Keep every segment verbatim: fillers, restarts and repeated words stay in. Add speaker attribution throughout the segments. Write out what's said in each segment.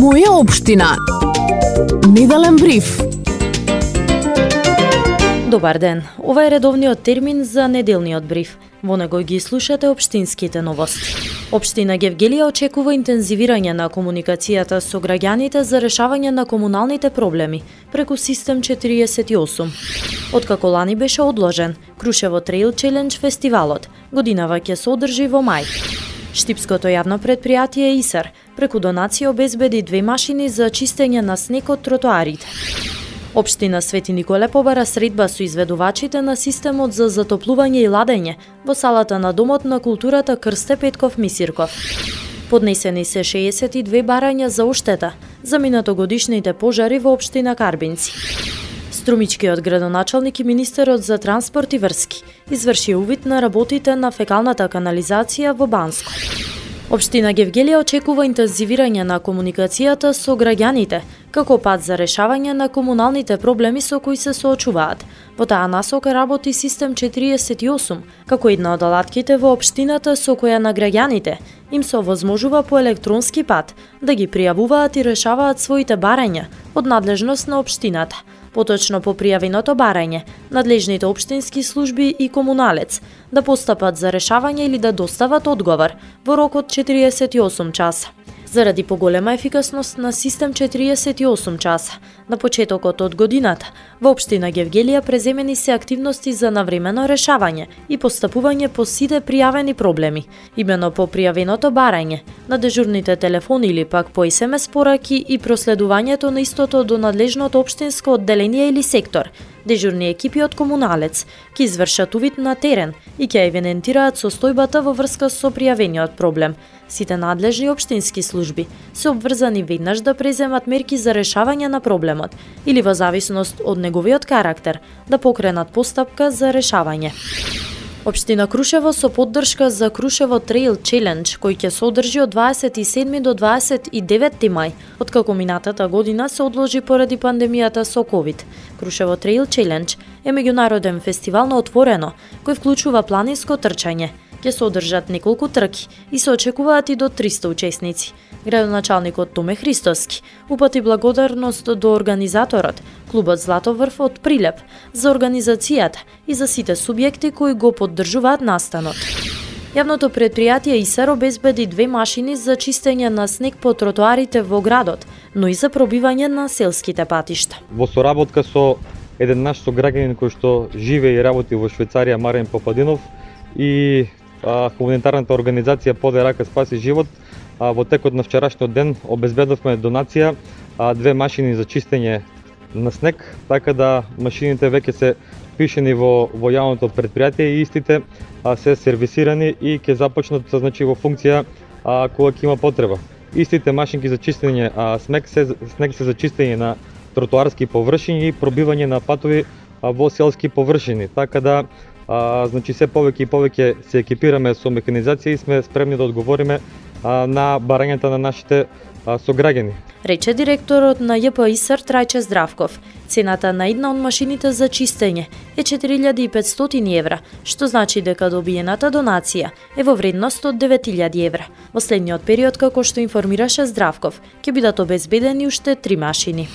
Speaker 1: Моја општина. Неделен бриф.
Speaker 2: Добар ден. Ова е редовниот термин за неделниот бриф. Во него ги слушате општинските новости. Општина Гевгелија очекува интензивирање на комуникацијата со граѓаните за решавање на комуналните проблеми преку систем четириесет и осум. Откако лани беше одложен, Крушево Треил Челендж фестивалот годинава ќе се одржи во мај. Штипското јавно предпријатие ИСАР преку донација обезбеди две машини за чистење на снег од тротоарите. Општина Свети Николе побара средба со изведувачите на системот за затоплување и ладење во салата на Домот на културата Крсте Петков Мисирков. Поднесени се шеесет и две барања за оштета за минатогодишните пожари во општина Карбинци. Струмичкиот градоначалник и министерот за транспорт и врски изврши увид на работите на фекалната канализација во Банско. Општина Гевгелија очекува интензивирање на комуникацијата со граѓаните како пат за решавање на комуналните проблеми со кои се соочуваат. Во таа насока работи систем четириесет и осум, како една од алатките во општината со која на граѓаните им се овозможува по електронски пат да ги пријавуваат и решаваат своите барања од надлежност на општината. Поточно по пријавеното барање, надлежните општински служби и комуналец да постапат за решавање или да достават одговор во рок од четириесет и осум часа. Заради поголема ефикасност на систем четириесет и осум часа, на почетокот од годината, во општина Гевгелија преземени се активности за навремено решавање и постапување по сите пријавени проблеми, имено по пријавеното барање, на дежурните телефони или пак по ес ем ес пораки и проследувањето на истото до надлежното општинско одделение или сектор. Дежурни екипи од комуналец ќе извршат увид на терен и ќе евидентираат состојбата во врска со пријавениот проблем. Сите надлежни општински служби се обврзани веднаш да преземат мерки за решавање на проблемот или во зависност од неговиот карактер да покренат постапка за решавање. Општина Крушево со поддршка за Крушево Треил Челендж, кој ќе се одржи од дваесет и седми до дваесет и деветти мај, откако минатата година се одложи поради пандемијата со ковид. Крушево Треил Челендж е меѓународен фестивал на отворено, кој вклучува планинско трчање. Ќе се одржат неколку трки и се очекуваат и до триста учесници. Градоначалникот Томе Христоски упати благодарност до организаторот, клубот Златоврв од Прилеп, за организацијата и за сите субјекти кои го поддржуваат настанот. Јавното предпријатие ИСАР обезбеди две машини за чистење на снег по тротоарите во градот, но и за пробивање на селските патишта.
Speaker 3: Во соработка со еден наш сограѓанин кој што живее и работи во Швајцарија, Марен Попадинов, и а, хуманитарната организација Подај рака спаси живот, а, во текот на вчерашниот ден обезбедовме донација а, две машини за чистење на снег, така да машините веќе се впишени во во јавното предпријатие и истите а, се сервисирани и ќе започнат значи во функција а, кога ќе има потреба. Истите машинки за чистење а, снег се снег се за чистење на тротоарски површини и пробивање на патови а, во селски површини, така да а, значи се повеќе и повеќе се екипираме со механизација и сме спремни да одговориме а, на барањата на нашите а, сограѓани.
Speaker 2: Рече директорот на Ј П ИСАР Трајче Здравков. Цената на една од машините за чистење е четири илјади и петстотини евра, што значи дека добиената донација е во вредност од девет илјади евра. Во следниот период, како што информираше Здравков, ќе бидат обезбедени уште три машини.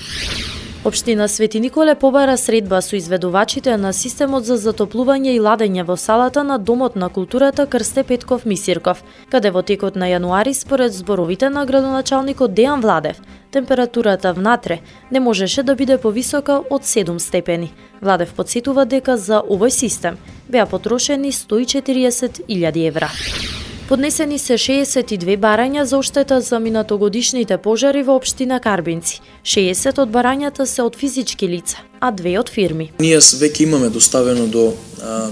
Speaker 2: Општина Свети Николе побара средба со изведувачите на системот за затоплување и ладење во салата на Домот на културата Крсте Петков Мисирков, каде во текот на јануари, според зборовите на градоначалникот Дејан Владев, температурата внатре не можеше да биде повисока од седум степени. Владев потсетува дека за овој систем беа потрошени сто и четириесет илјади евра. Поднесени се шеесет и две барања за оштета за минатогодишните пожари во општина Карбинци. шеесет од барањата се од физички лица, а две од фирми.
Speaker 4: Ние веќе имаме доставено до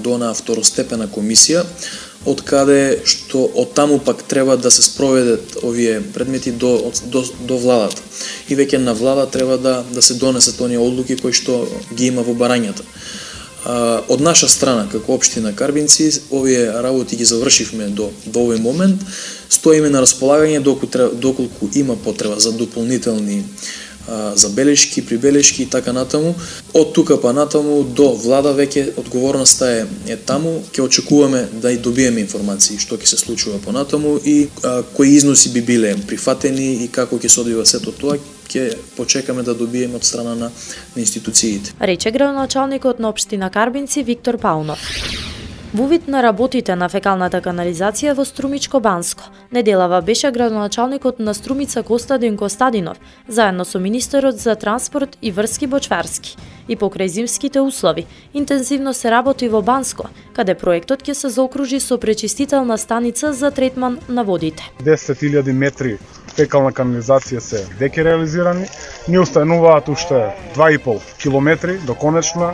Speaker 4: до онаа второстепена комисија, од каде што од таму пак треба да се спроведат овие предмети до до до владата. И веќе на влада треба да да се донесат оние одлуки кои што ги има во барањата. Од наша страна, како општина Карбинци, овие работи ги завршивме до, до овој момент. Стоиме на располагање доколку, доколку има потреба за дополнителни забелешки, прибелешки и така натаму. Од тука па натаму до влада веќе одговорноста е, е таму. Ќе очекуваме да и добиеме информации што ќе се случува понатаму и а, кои износи би биле прифатени и како ќе се одвива сето тоа, ќе почекаме да добиеме од страна на, на институциите.
Speaker 2: Рече градоначалникот на општина Карбинци Виктор Паунов. Во вид на работите на фекалната канализација во Струмичко Банско, неделава беше градоначалникот на Струмица Костадин Костадинов, заедно со министерот за транспорт и врски Бочварски. И покрај зимските услови, интензивно се работи во Банско, каде проектот ќе се заокружи со пречистителна станица за третман на водите.
Speaker 5: десет илјади метри фекална канализација се веќе реализирани, ни остануваат уште два и пол километри до конечна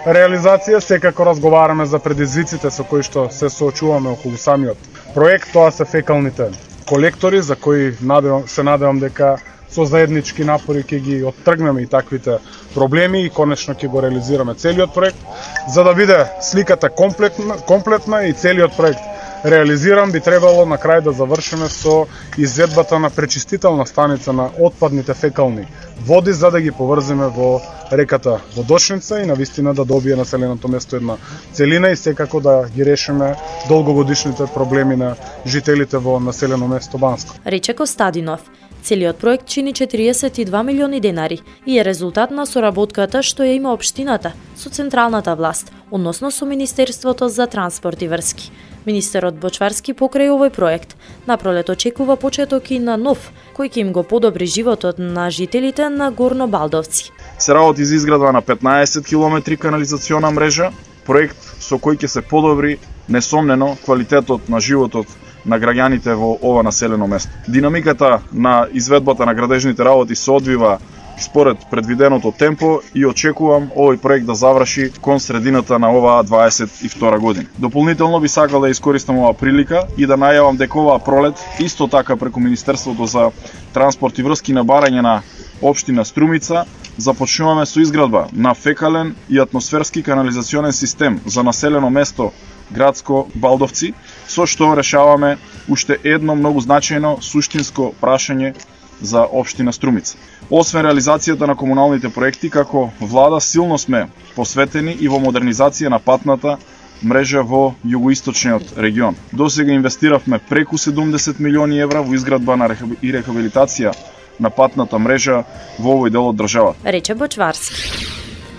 Speaker 5: реализација. Секако разговараме за предизвиците со кои што се соочуваме околу самиот проект. Тоа се фекалните колектори, за кои надевам, се надевам дека со заеднички напори ќе ги оттргнеме и таквите проблеми и конечно ќе го реализираме целиот проект, за да биде сликата комплетна, комплетна и целиот проект реализиран. Би требало на крај да завршиме со изведбата на пречистителна станица на отпадните фекални води, за да ги поврзиме во реката Водочница и навистина да добие населеното место една целина и секако да ги решиме долгогодишните проблеми на жителите во населено место Банско.
Speaker 2: Рече Костадинов. Целиот проект чини четириесет и два милиони денари и е резултат на соработката што ја има општината со централната власт, односно со Министерството за транспорт и врски. Министерот Бочварски покрај овој проект напролет очекува почеток и на нов, кој ќе им го подобри животот на жителите на Горно Балдовци.
Speaker 6: Се работи за изградба на петнаесет километри канализациона мрежа, проект со кој ќе се подобри несомнено квалитетот на животот на граѓаните во ова населено место. Динамиката на изведбата на градежните работи се одвива според предвиденото темпо и очекувам овој проект да заврши кон средината на оваа дваесет и втора година. Дополнително би сакал да искористам оваа прилика и да најавам дека оваа пролет исто така преку Министерството за транспорт и врски на барање на општина Струмица започнуваме со изградба на фекален и атмосферски канализационен систем за населено место градско Балдовци, со што решаваме уште едно многу значајно суштинско прашање за општина Струмица. Освен реализацијата на комуналните проекти, како влада силно сме посветени и во модернизација на патната мрежа во југоисточниот регион. Досега инвестиравме преку седумдесет милиони евра во изградба на и рехабилитација на патната мрежа во овој дел од државата.
Speaker 2: Рече Бочварски.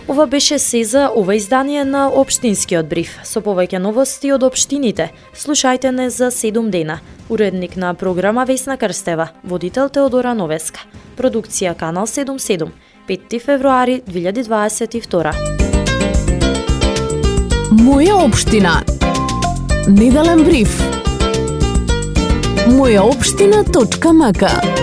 Speaker 2: Ова беше се за ова издание на Општинскиот бриф. Со повеќе новости од општините, слушајте не за седум дена. Уредник на програма Весна Крстева, водител Теодора Новеска. Продукција Канал седум седум, петти февруари две илјади дваесет и втора.
Speaker 1: Моја општина. Неделен бриф. моја општина точка м к